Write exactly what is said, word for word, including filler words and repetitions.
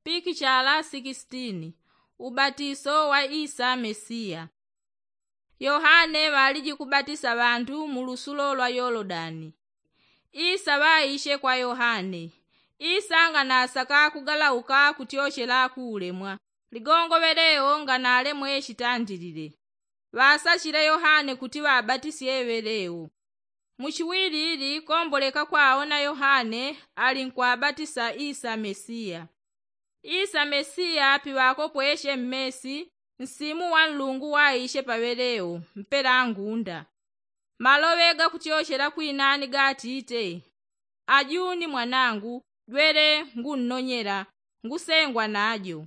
Pikichala sikisitini. Ubatiso wa isa mesiya. Yohane ŵaliji kubatisa ŵantu mu lusulo lwa yolodani. Isa ŵaishe kwa yohane. Isa nganasaka kugalauka kutyochela ku ulemwa. Ligongo ŵeleo nganalemwe chitandilile. Ŵasachile yohane kuti ŵabatisye ŵeleo. Muchiwili ili komboleka kwaona yohane ali nkwabatisa isa mesiya. Isa mesiya piŵakopweshe mmesi, nsimu wa nlungu waishe paŵeleo mpela ngunda. Maloŵe gakutyochela kwinani gatite, ajuni mwanangu, jwele ngunnonyela, ngusengwa najo.